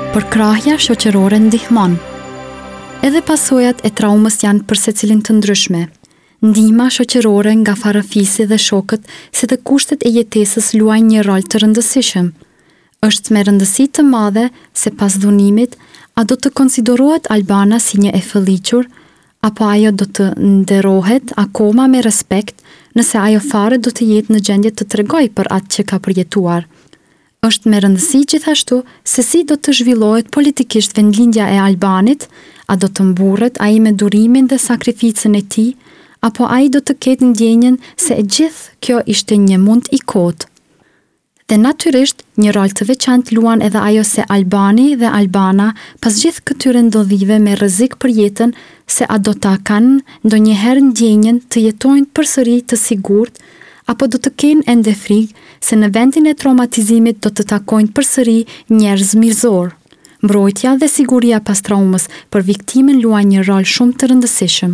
Përkrahja shoqërore ndihmon. Edhe pasojat e traumës janë për secilin të ndryshme. Ndihma shoqërore nga farefisi dhe shokët si dhe kushtet e jetesës luajnë një rol të rëndësishëm. Është me rëndësi të madhe se pas dhunimit, a do të konsiderohet Albana si një e fëlliqur, apo ajo do të nderohet akoma me respekt nëse ajo fare do të jetë në gjendje të tregojë për atë që ka përjetuar. Është me rëndësi gjithashtu se si do të zhvillohet politikisht vendlindja e Albanit, a do të mburret ai me durimin dhe sakrificën e tij, apo ai do të ketë ndjenjën se e gjithë kjo ishte një mund i kotë. Dhe natyrisht, një rol të veçantë luan edhe ajo se Albani dhe Albana pas gjithë këtyre ndodhive me rrezik për jetën se a do ta kanë ndonjëherë ndjenjën të jetojnë përsëri të sigurt apo do të kenë ende frikë se në vendin e traumatizimit do të takojnë përsëri njerëz mizorë. Mbrojtja dhe siguria pas traumës për viktimën luajnë një rol shumë të rëndësishëm.